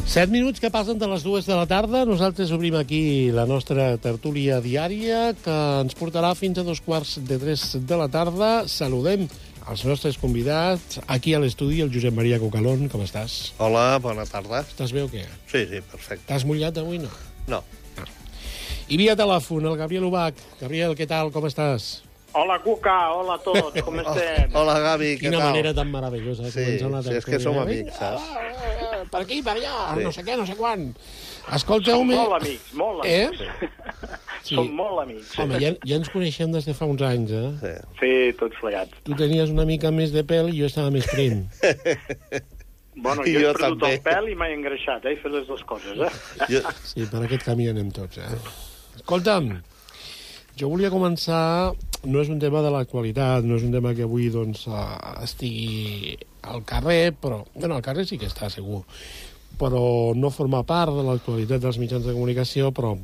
7 minuts que passen de les 2 de la tarda. Nosaltres obrim aquí la nostra tertúlia diària, que ens portarà fins a 2:45 de la tarda. Saludem els nostres convidats. Aquí a l'estudi, el Josep Maria Cocalón. Com estàs? Hola, bona tarda. Estàs bé o què? Sí, perfecte. T'has mullat avui, no? No. I via telèfon, el Gabriel Ubach. Gabriel, què tal? Com estàs? Hola, Cuca, hola a tots, com estem? Hola, Gavi, què tal? Quina manera tan meravellosa de començar una Sí, és que som amics, saps? Per aquí, per allà, Sí. no sé què, no sé quan. Escolteu... Som molt amics, molt amics. Sí. Som molt amics. Home, ja ens coneixem des de fa uns anys, eh? Sí, tots plegats. Tu tenies una mica més de pèl i jo estava més prim. Bueno, I jo he jo perdut també. el pèl i m'he engreixat, he fet les dues coses, Jo... Sí, per aquest camí anem tots, Escolta'm, jo volia començar... No és un tema de l'actualitat, no és un tema que avui doncs, estigui al carrer, però... Bueno, al carrer sí que està, segur. Però no forma part de l'actualitat dels mitjans de comunicació, però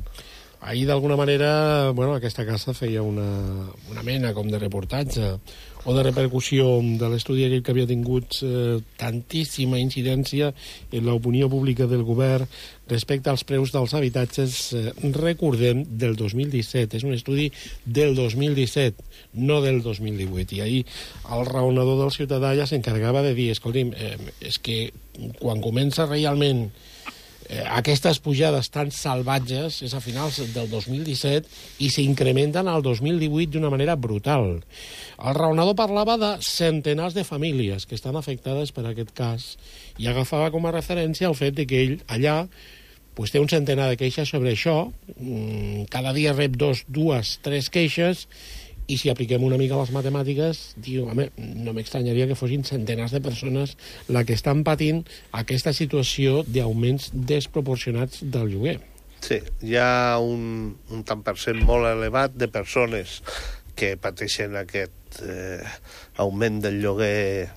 ahir, d'alguna manera, bueno, aquesta casa feia una mena com de reportatge o de repercussió de l'estudi aquell que havia tingut tantíssima incidència en l'opinió pública del govern respecte als preus dels habitatges, recordem, del 2017. És un estudi del 2017, no del 2018. I ahir el raonador del ciutadà ja s'encarregava de dir, escolti'm, és que quan comença realment aquestes pujades tan salvatges és a finals del 2017 i s'incrementen al 2018 d'una manera brutal. El raonador parlava de centenars de famílies que estan afectades per aquest cas i agafava com a referència el fet de que ell allà pues, té un centenar de queixes sobre això, cada dia rep dues, tres queixes, i si apliquem una mica les matemàtiques, diu, home, no m'estranyaria que fossin centenars de persones la que estan patint aquesta situació d'augments desproporcionats del lloguer. Sí, hi ha un tant per cent molt elevat de persones que pateixen aquest augment del lloguer.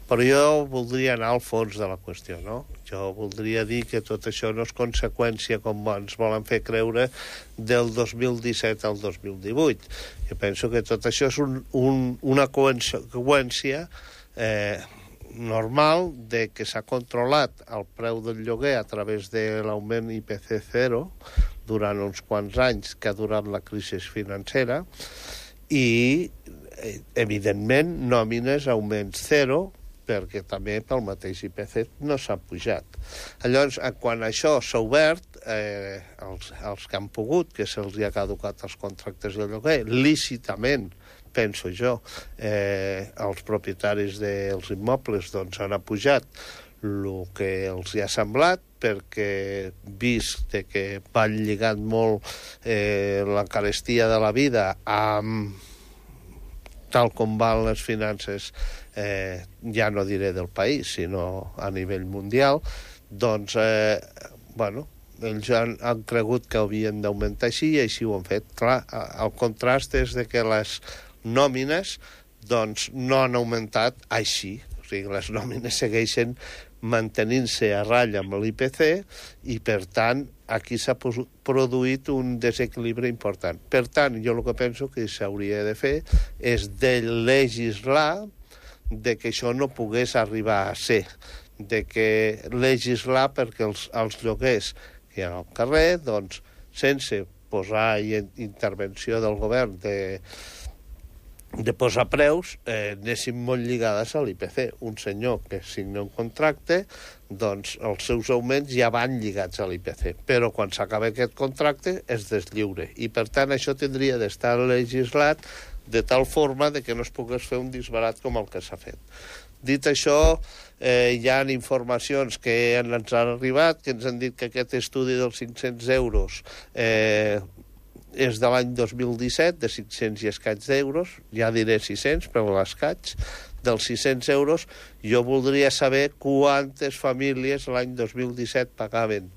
Però jo voldria anar al fons de la qüestió, no? Jo voldria dir que tot això no és conseqüència, com ens volen fer creure, del 2017 al 2018. Jo penso que tot això és una conseqüència normal de que s'ha controlat el preu del lloguer a través de l'augment IPC 0 durant uns quants anys que ha durat la crisi financera i, evidentment, nòmines augments 0 perquè també pel mateix IPC no s'ha pujat. Llavors, quan això s'ha obert, els que han pogut, que se'ls ha caducat els contractes de lloguer, lícitament, penso jo, els propietaris dels immobles doncs, han apujat el que els hi ha semblat, perquè vist que van lligant molt la carestia de la vida amb tal com van les finances, ja no diré del país, sinó a nivell mundial, doncs, bueno, ells han cregut que havien d'augmentar així i així ho han fet. Clar, el contrast és de que les nòmines doncs, no han augmentat així. O sigui, les nòmines segueixen mantenint-se a ratlla amb l'IPC i, per tant, aquí s'ha produït un desequilibri important. Per tant, jo el que penso que s'hauria de fer és de legislar de que això no pogués arribar a ser, de que legislar perquè els lloguers que hi ha al carrer, doncs, sense posar intervenció del govern de posar preus, anessin molt lligades a l'IPC. Un senyor que signa un contracte, doncs els seus augments ja van lligats a l'IPC, però quan s'acaba aquest contracte es deslliure. I per tant això tindria d'estar legislat de tal forma de que no es pogués fer un disbarat com el que s'ha fet. Dit això, hi ha informacions que ens han arribat, que ens han dit que aquest estudi dels 500 euros és de l'any 2017, de 500 i escaig d'euros, ja diré 600, però l'escaig, dels 600 euros, jo voldria saber quantes famílies l'any 2017 pagaven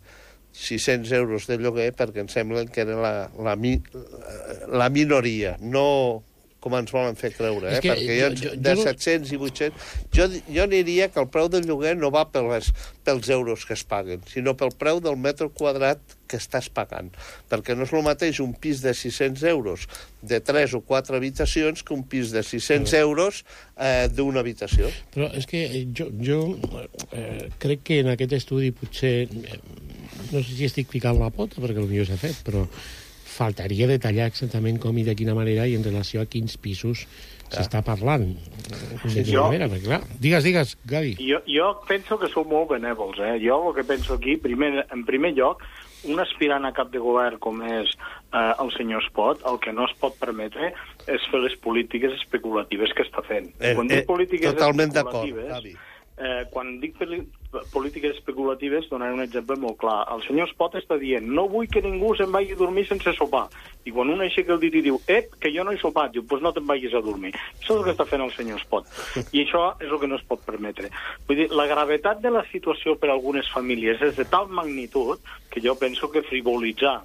600 euros de lloguer, perquè em sembla que era la minoria, no com ens volen fer creure, És que perquè de 700 i 800... Jo aniria que el preu del lloguer no va pels euros que es paguen, sinó pel preu del metre quadrat que estàs pagant. Perquè no és el mateix un pis de 600 euros de 3 o 4 habitacions que un pis de 600 euros d'una habitació. Però és que jo crec que en aquest estudi potser... No sé si estic ficant la pota, perquè potser s'ha fet, però faltaria detallar exactament com i de quina manera i en relació a quins pisos s'està parlant. De quina manera, perquè clar... Digues, Gavi. Jo penso que sou molt benèvols, eh? Jo el que penso aquí, en primer lloc, un aspirant a cap de govern com és el senyor Espot, el que no es pot permetre és fer les polítiques especulatives que està fent. Quan dic polítiques totalment d'acord, Gavi. Quan dic polítiques especulatives, donaré un exemple molt clar. El senyor Espot està dient, no vull que ningú se'n vagi a dormir sense sopar. I quan un aixeca el dit i diu, que jo no he sopat, diu, doncs no te'n vagis a dormir. Això és el que està fent el senyor Espot. I això és el que no es pot permetre. Vull dir, la gravetat de la situació per a algunes famílies és de tal magnitud que jo penso que frivolitzar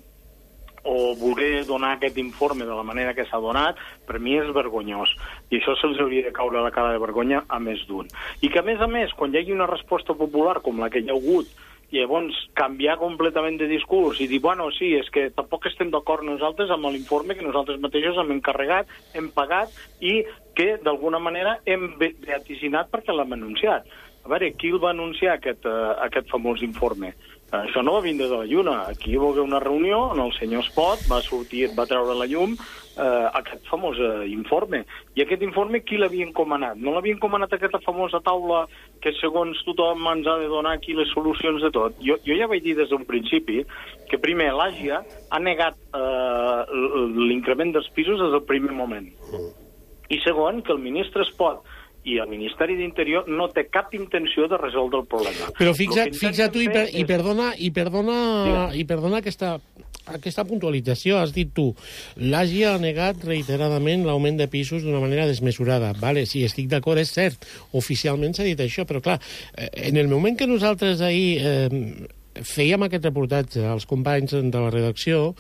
o voler donar aquest informe de la manera que s'ha donat, per mi és vergonyós. I això se'ls hauria de caure la cara de vergonya a més d'un. I que, a més, quan hi hagi una resposta popular com la que hi ha hagut, llavors canviar completament de discurs i dir, bueno, sí, és que tampoc estem d'acord nosaltres amb l'informe que nosaltres mateixos hem encarregat, hem pagat i que, d'alguna manera, hem vaticinar perquè l'hem anunciat. A veure, qui el va anunciar, aquest famós informe? Això no va vindre de la lluna. Aquí hi va haver una reunió on el senyor Espot va treure a la llum aquest famós informe. I aquest informe qui l'havia encomanat? No l'havia encomanat aquesta famosa taula que segons tothom ens ha de donar aquí les solucions de tot? Jo ja vaig dir des d'un principi que primer l'AGIA ha negat l'increment dels pisos des del primer moment. I segon, que el ministre Espot i el Ministeri d'Interior no té cap intenció de resoldre el problema. Però fixa't tu, i perdona aquesta puntualització. Has dit tu, l'AGI ha negat reiteradament l'augment de pisos d'una manera desmesurada. Vale, sí, estic d'acord, és cert. Oficialment s'ha dit això, però clar, en el moment que nosaltres ahir fèiem aquest reportatge als companys de la redacció,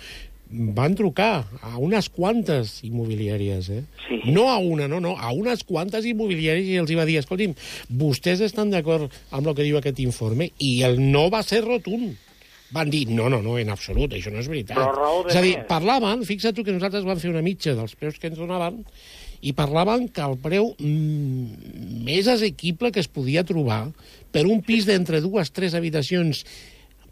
van trucar a unes quantes immobiliàries, Sí. No a una, no, a unes quantes immobiliàries i els va dir, escolti'm, vostès estan d'acord amb el que diu aquest informe? I el no va ser rotund. Van dir, no, en absolut, això no és veritat. Però raó de és a dir, parlaven, fixa't tu que nosaltres vam fer una mitja dels preus que ens donaven, i parlaven que el preu més assequible que es podia trobar per un pis d'entre 2-3 habitacions,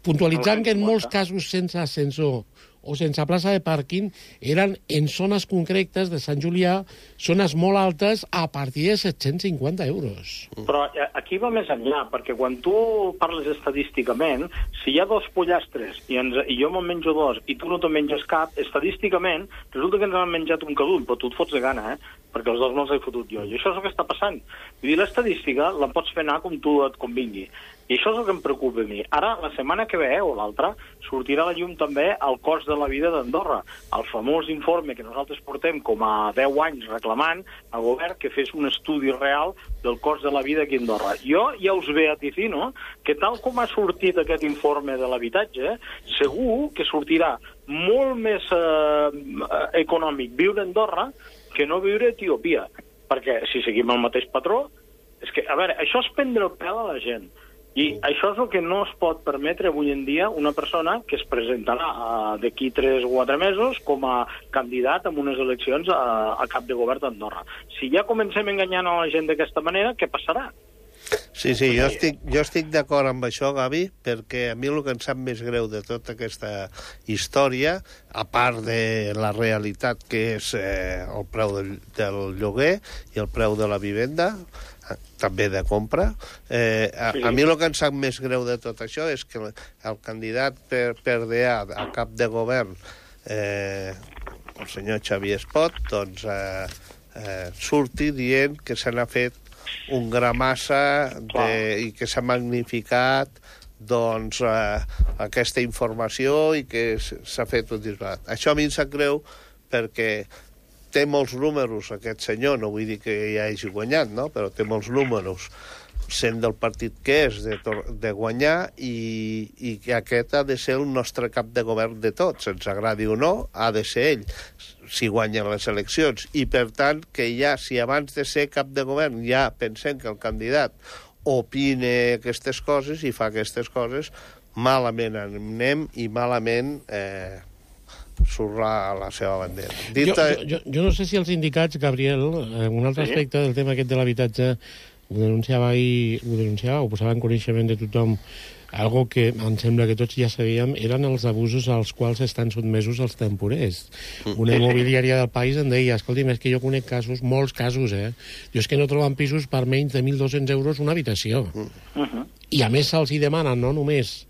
puntualitzant que en molts casos sense ascensor o sense plaça de pàrquing, eren en zones concretes de Sant Julià, zones molt altes, a partir de 750 euros. Però aquí va més enllà, perquè quan tu parles estadísticament, si hi ha 2 pollastres i jo me'n menjo 2 i tu no te'n menges cap, estadísticament resulta que ens han menjat un cadull, però tu et fots de gana, perquè els 2 me'ls he fotut jo. I això és el que està passant. Vull dir, l'estadística la pots fer anar com tu et convingui. I això és el que em preocupa a mi. Ara, la setmana que ve, o l'altra, sortirà a la llum també el cost de la vida d'Andorra. El famós informe que nosaltres portem com a 10 anys reclamant al govern que fes un estudi real del cost de la vida aquí a Andorra. Jo ja us vaticino que tal com ha sortit aquest informe de l'habitatge, segur que sortirà molt més econòmic viure a Andorra que no viure a Etiòpia. Perquè si seguim el mateix patró, és que, a veure, això és prendre el pèl a la gent. I això és el que no es pot permetre avui en dia una persona que es presentarà d'aquí 3 o 4 mesos com a candidat en unes eleccions a cap de govern d'Andorra. Si ja comencem enganyant a la gent d'aquesta manera, què passarà? Sí, jo estic d'acord amb això, Gavi, perquè a mi el que em sap més greu de tota aquesta història, a part de la realitat que és el preu del lloguer i el preu de la vivenda, també de compra. A mi el que em sap més greu de tot això és que el candidat per DA a cap de govern, el senyor Xavier Espot, doncs surti dient que se n'ha fet un gramassa i que s'ha magnificat doncs aquesta informació i que s'ha fet un disbarat. Això a mi em sap greu perquè té molts números, aquest senyor, no vull dir que ja hagi guanyat, no? Però té molts números, sent del partit que és, de guanyar, i que aquest ha de ser el nostre cap de govern de tots, ens agradi o no, ha de ser ell. si guanyen les eleccions. I, per tant, que ja, si abans de ser cap de govern ja pensem que el candidat opine aquestes coses i fa aquestes coses, malament anem i malament surra a la seva bandera. Jo no sé si els sindicats, Gabriel, un altre aspecte del tema aquest de l'habitatge, ho denunciava, ho posava en coneixement de tothom, algo que em sembla que tots ja sabíem, eren els abusos als quals estan sotmesos els temporers. Una immobiliària del país em deia, escolti'm, és que jo conec casos, molts casos, jo és que no troben pisos per menys de 1.200 euros una habitació. I a més se'ls hi demanen no només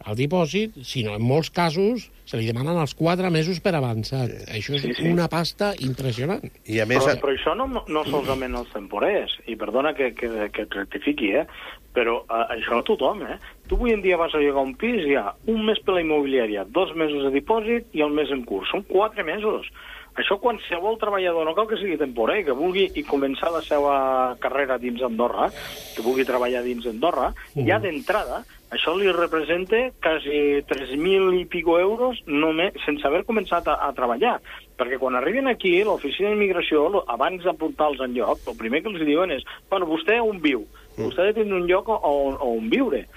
el dipòsit, sinó en molts casos se li demanen els 4 mesos per avançat. Això és una pasta impressionant. I a més... Però això no solament els temporers, i perdona que rectifiqui, però això no tothom, Tu avui en dia vas a llogar un pis, hi ha un mes per la immobiliària, 2 mesos de dipòsit i el mes en curs. Són 4 mesos. Això qualsevol treballador, no cal que sigui temporer, que vulgui començar la seva carrera dins Andorra, que vulgui treballar dins Andorra, ja d'entrada, això li representa quasi 3.000 i pico euros només, sense haver començat a treballar. Perquè quan arriben aquí, l'oficina d'immigració, abans d'apuntar-los en lloc, el primer que els diuen és, bueno, vostè on viu? Vostè ha de tenir un lloc on viure.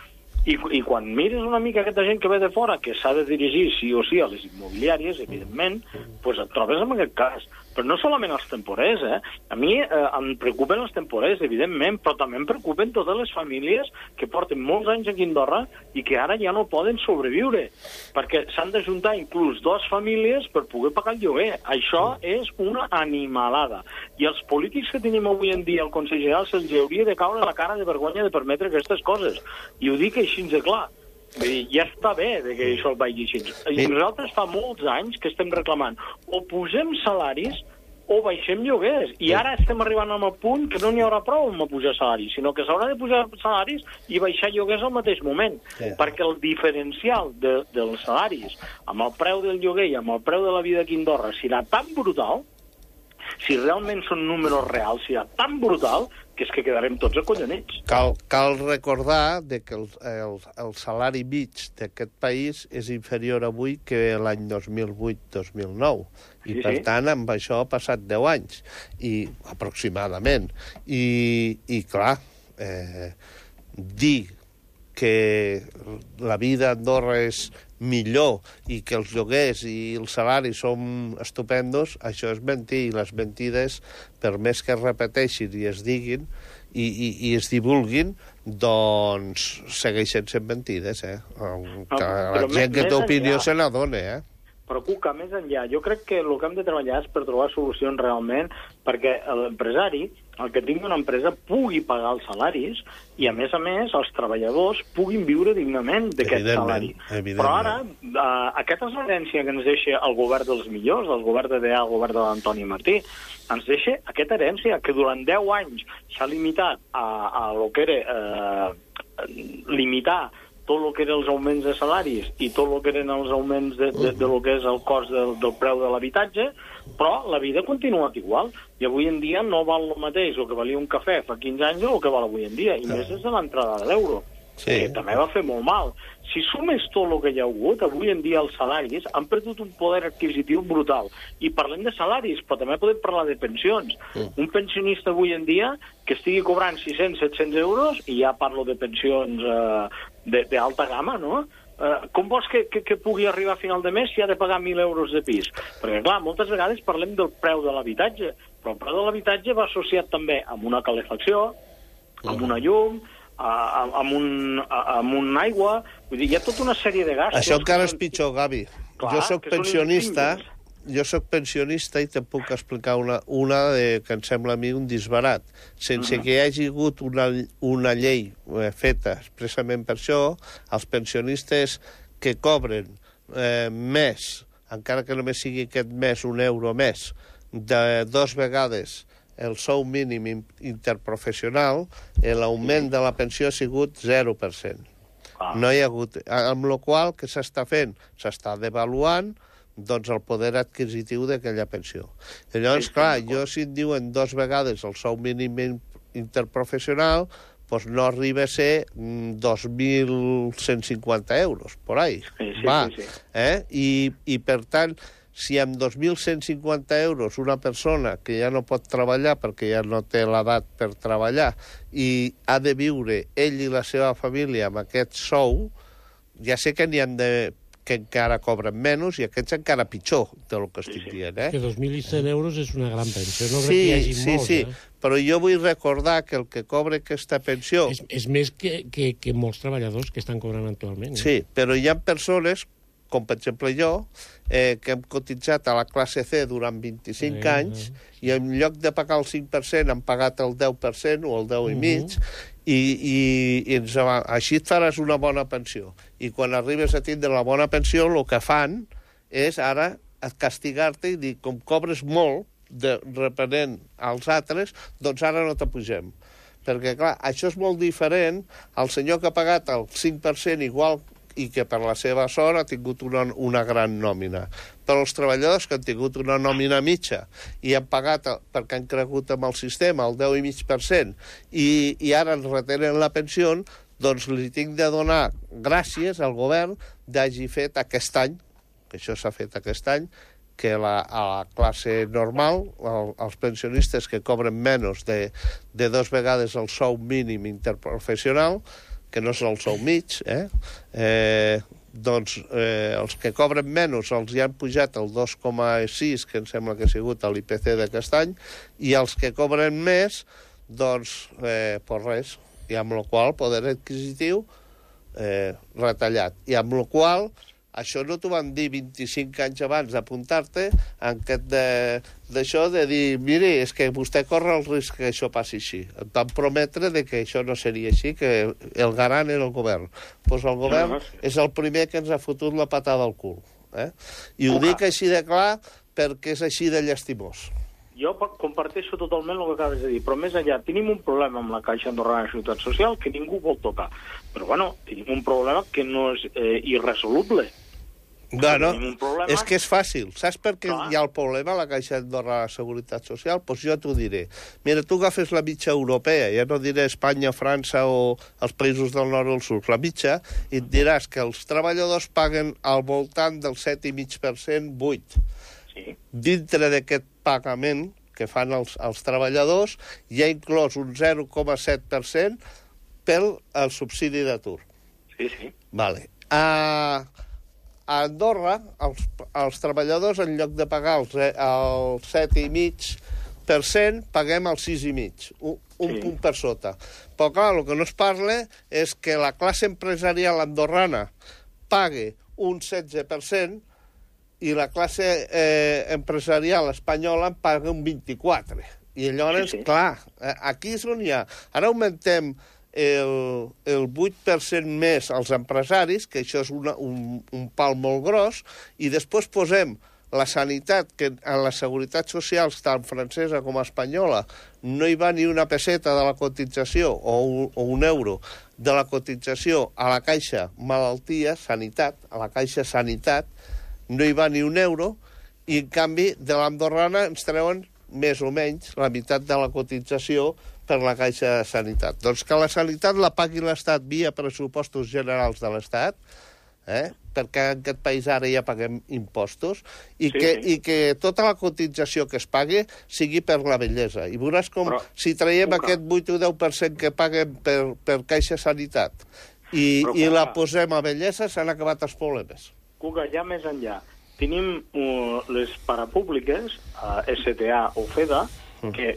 I quan mires una mica aquesta gent que ve de fora, que s'ha de dirigir sí o sí a les immobiliàries, evidentment, doncs et trobes en aquest cas. Però no solament els temporers, A mi em preocupen els temporers, evidentment, però també em preocupen totes les famílies que porten molts anys aquí a Andorra i que ara ja no poden sobreviure, perquè s'han d'ajuntar inclús 2 famílies per poder pagar el lloguer. Això és una animalada. I els polítics que tenim avui en dia al Consell General se'ls hauria de caure la cara de vergonya de permetre aquestes coses. I ho dic així de clar. Vull dir, ja està bé que això el vagi així. I nosaltres fa molts anys que estem reclamant o posem salaris o baixem lloguers. I ara estem arribant a un punt que no n'hi haurà prou amb pujar salaris, sinó que s'haurà de pujar salaris i baixar lloguers al mateix moment. Perquè el diferencial dels salaris amb el preu del lloguer i amb el preu de la vida aquí a Andorra serà tan brutal, si realment són números reals, serà tan brutal que és que quedarem tots acollonits. Cal recordar que el salari mig d'aquest país és inferior avui que l'any 2008-2009. I, per tant, amb això ha passat 10 anys, aproximadament. I clar, dir que la vida a Andorra és millor i que els lloguers i els salaris són estupendos, això és mentir. I les mentides, per més que es repeteixin i es diguin i es divulguin, doncs segueixen sent mentides, la gent que té opinió se n'adona, Però, Cuca, més enllà, jo crec que el que hem de treballar és per trobar solucions realment perquè l'empresari, el que tingui una empresa, pugui pagar els salaris i, a més, els treballadors puguin viure dignament d'aquest salari. Però ara, aquesta és l'herència que ens deixa el govern dels millors, el govern de DA, el govern de l'Antoni Martí, ens deixa aquesta herència que durant 10 anys s'ha limitat a lo que era limitar tot el que eren els augments de salaris i tot el que eren els augments de lo que és el cost del preu de l'habitatge, però la vida ha continuat igual. I avui en dia no val el mateix el que valia un cafè fa 15 anys o el que val avui en dia, i més des de l'entrada de l'euro, que també va fer molt mal. Si sumes tot el que hi ha hagut, avui en dia els salaris han perdut un poder adquisitiu brutal. I parlem de salaris, però també podem parlar de pensions. Un pensionista avui en dia que estigui cobrant 600-700 euros, i ja parlo de pensions d'alta gamma, no? Com vols que pugui arribar a final de mes si ha de pagar 1.000 euros de pis? Perquè, clar, moltes vegades parlem del preu de l'habitatge, però el preu de l'habitatge va associat també amb una calefacció, amb una llum, amb una aigua. Vull dir, hi ha tota una sèrie de gastos. Això encara és pitjor, Gavi. Jo soc pensionista i te'n puc explicar una que em sembla a mi un disbarat. Sense que hi hagi hagut una llei feta expressament per això, els pensionistes que cobren més, encara que només sigui aquest mes €1 més, de 2 vegades el sou mínim interprofessional, l'augment de la pensió ha sigut 0%. No hi ha hagut... Amb la qual que s'està fent? S'està devaluant doncs el poder adquisitiu d'aquella pensió. I llavors, clar, si em diuen 2 vegades el sou mínim interprofessional, doncs no arriba a ser 2.150 euros, por ahí. Sí. I per tant, si amb 2.150 euros una persona que ja no pot treballar perquè ja no té l'edat per treballar i ha de viure ell i la seva família amb aquest sou, ja sé que n'hi ha que encara cobren menys i aquests encara pitjor del que estic dient. Que 2.100 euros és una gran pensió. No crec que hi hagi molts, sí. Però jo vull recordar que el que cobra aquesta pensió... És més que molts treballadors que estan cobrant actualment. Sí, però hi ha persones, com per exemple jo, que hem cotitzat a la classe C durant 25 anys i en lloc de pagar el 5% han pagat el 10% o el 10,5%, i així et faràs una bona pensió. I quan arribes a tindre la bona pensió, el que fan és ara castigar-te i dir, com cobres molt, repenent als altres, doncs ara no t'apugem. Perquè, clar, això és molt diferent al senyor que ha pagat el 5% igual i que per la seva sort ha tingut una gran nòmina. Però els treballadors que han tingut una nòmina mitja i han pagat, perquè han cregut amb el sistema, el 10,5%, i ara ens retenen la pensió, doncs li tinc de donar gràcies al govern d'hagi fet aquest any, que això s'ha fet aquest any, que a la classe normal, els pensionistes que cobren menys de 2 vegades el sou mínim interprofessional, que no és el sou mig, doncs els que cobren menys els hi han pujat el 2,6, que em sembla que ha sigut l'IPC d'aquest any, i els que cobren més, doncs, res. I amb la qual el poder adquisitiu retallat. I amb la qual això no t'ho van dir 25 anys abans d'apuntar-te en aquest d'això de dir, miri, és que vostè corre el risc que això passi així. Et van prometre que això no seria així, que el garant era el govern. Doncs el govern és el primer que ens ha fotut la patada al cul. I ho dic així de clar perquè és així de llastimós. Jo comparteixo totalment el que acabes de dir, però més enllà, tenim un problema amb la Caixa Andorrana de Seguretat Social que ningú vol tocar. Però, bueno, tenim un problema que no és irresoluble. Bueno, és que és fàcil. Saps per què hi ha el problema a la Caixa Andorrana de Seguretat Social? Doncs jo t'ho diré. Mira, tu agafes la mitja europea, ja no diré Espanya, França o els països del nord o del sud, la mitja, i et diràs que els treballadors paguen al voltant del 7,5%, 8%. Sí. Dintre d'aquest pagament que fan els treballadors hi ha inclòs un 0,7% pel subsidi d'atur. Sí, sí. Vale. A Andorra, els treballadors, en lloc de pagar el 7,5%, paguem el 6,5%, un punt per sota. Però, clar, el que no es parla és que la classe empresarial andorrana pague un 16%, i la classe empresarial espanyola en paga un 24%. I llavors, clar, aquí és on hi ha. Ara augmentem el 8% més als empresaris, que això és un pal molt gros, i després posem la sanitat, que en la seguretat social, tant francesa com espanyola, no hi va ni una peseta de la cotització o un euro de la cotització a la Caixa Malaltia, Sanitat, a la Caixa Sanitat, no hi va ni un euro, i en canvi de l'andorrana ens treuen més o menys la meitat de la cotització per la Caixa de Sanitat. Doncs que la sanitat la pagui l'Estat via pressupostos generals de l'Estat, perquè en aquest país ara ja paguem impostos, i que tota la cotització que es pagui sigui per la bellesa. I veuràs com, si traiem aquest 8 o 10% que paguem per Caixa Sanitat i la posem a bellesa, s'han acabat els problemes. Cuca, ja més enllà, tenim les parapúbliques, STA o FEDA, que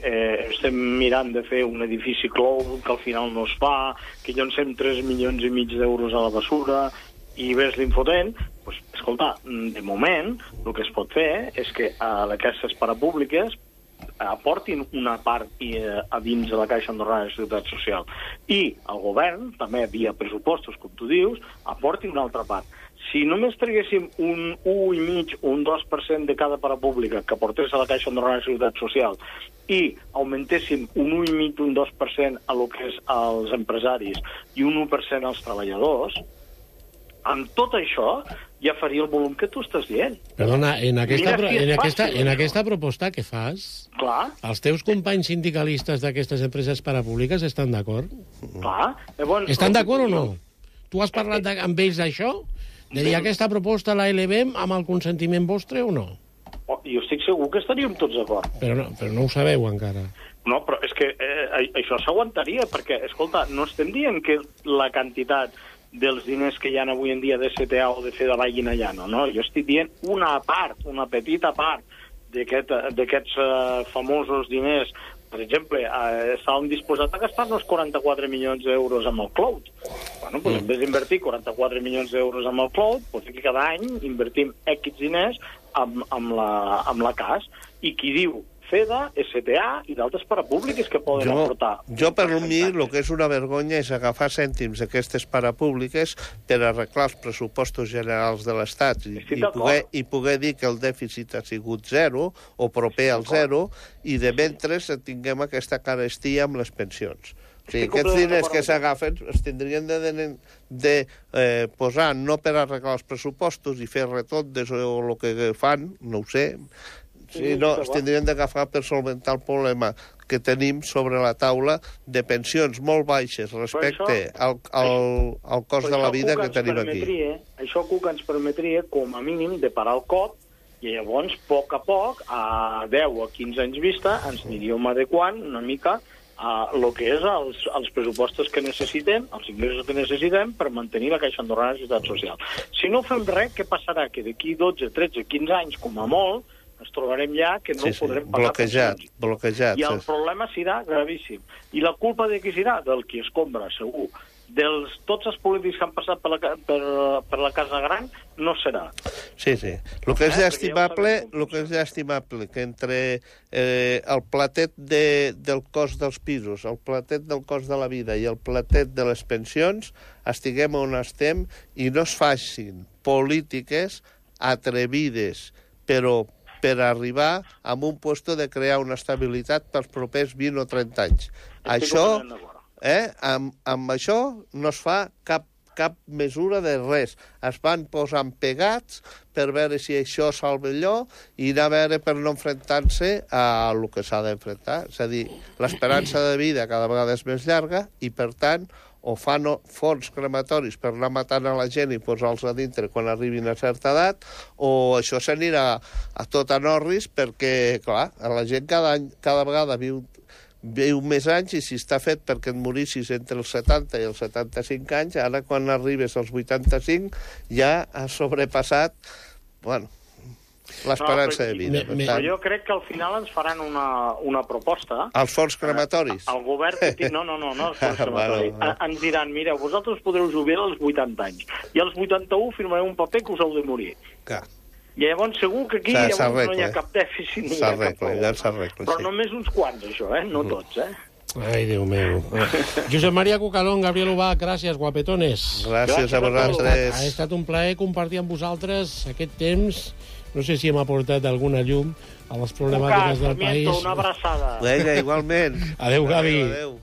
estem mirant de fer un edifici clou que al final no es fa, que llancem 3,5 milions d'euros a la bessura, i ves l'infotent, doncs, escolta, de moment, el que es pot fer és que aquestes parapúbliques aportin una part a dins de la Caixa Andorrana de Seguretat Social. I el govern, també via pressupostos, com tu dius, aporti una altra part. Si només traguéssim un 1,5 o un 2% de cada parapública que aportés a la Caixa Andorrana de Seguretat Social i augmentéssim un 1,5 o un 2% a lo que és als empresaris i un 1% als treballadors, amb tot això ja faria el volum que tu estàs dient. Perdona, en aquesta proposta que fas, els teus companys sindicalistes d'aquestes empreses parapúbliques estan d'acord? Clar. Estan d'acord o no? Tu has parlat amb ells d'això? De dir, aquesta proposta la elevem amb el consentiment vostre o no? estic segur que estaríem tots d'acord. Però no ho sabeu encara. No, però és que això s'aguantaria, perquè, escolta, no estem dient que la quantitat dels diners que hi ha avui en dia de CTA o de FEDA vagin allà, no? Jo estic dient una part, una petita part d'aquests famosos diners. Per exemple, estàvem disposats a gastar-nos 44 milions d'euros amb el cloud. Bueno, doncs en vez d'invertir 44 milions d'euros amb el cloud, doncs que cada any invertim X diners amb la CAS. I qui diu FEDA, STA i d'altres parapúbliques que poden aportar. Jo, per mi, el que és una vergonya és agafar cèntims d'aquestes parapúbliques per arreglar els pressupostos generals de l'Estat i poder dir que el dèficit ha sigut zero o proper al zero i de mentre tinguem aquesta carestia amb les pensions. O sigui, aquests diners que s'agafen es tindrien de posar no per arreglar els pressupostos i fer retondes o el que fan, no ho sé. Sí, no, es tindrien d'agafar per solventar el problema que tenim sobre la taula de pensions molt baixes respecte al cost de la vida que tenim aquí. Això que ens permetria, com a mínim, de parar el cop i llavors, a poc, a 10 o 15 anys vista, ens aniríem adequant una mica a el que és els pressupostos que necessitem, els ingressos que necessitem per mantenir la Caixa Andorrana de Seguretat Social. Si no fem res, què passarà? Que d'aquí 12, 13, 15 anys, com a molt, ens trobarem ja que no podrem pagar pensions. Bloquejat. I el problema serà gravíssim. I la culpa de qui serà? Del qui escombra, segur. Tots els polítics que han passat per la Casa Gran no serà. Sí. El que és estimable que entre el platet del cost dels pisos, el platet del cost de la vida i el platet de les pensions estiguem on estem i no es facin polítiques atrevides, però per arribar a un lloc de crear una estabilitat pels propers 20 o 30 anys. Amb això no es fa cap mesura de res. Es van posant pegats per veure si això salva allò i anar a veure per no enfrontar-se a el que s'ha d'enfrontar. És a dir, l'esperança de vida cada vegada és més llarga i, per tant, o fan fons crematoris per anar matant a la gent i posar-los a dintre quan arribin a certa edat, o això s'anirà a tot a Norris perquè, clar, la gent cada vegada viu més anys i si està fet perquè et morissis entre els 70 i els 75 anys, ara quan arribes als 85 ja has sobrepassat, l'esperança de vida. Però jo crec que al final ens faran una proposta. Els fons crematoris? El govern... No, els fons crematoris. Ens diran, mira, vosaltres podreu jubilar als 80 anys i als 81 firmareu un paper que us heu de morir. Clar. I llavors segur que aquí no hi ha cap dèficit ni hi ha cap problema. Però només uns quants, això, no tots, Ai, Déu meu. Josep Maria Cucalón, Gabriel Ubach, gràcies, guapetones. Gràcies a vosaltres. Ha estat un plaer compartir amb vosaltres aquest temps. No sé si hem aportat alguna llum a les problemàtiques del país. Una abraçada. Vinga, igualment. Adéu, Gavi. Adéu.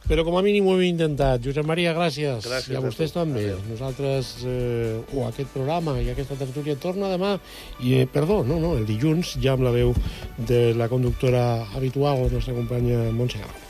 Però com a mínim ho hem intentat. Josep Maria, gràcies. Gràcies I a vostès també. Nosaltres, aquest programa i aquesta tertúlia torna demà. El dilluns, ja amb la veu de la conductora habitual, la nostra companya Montse Garro.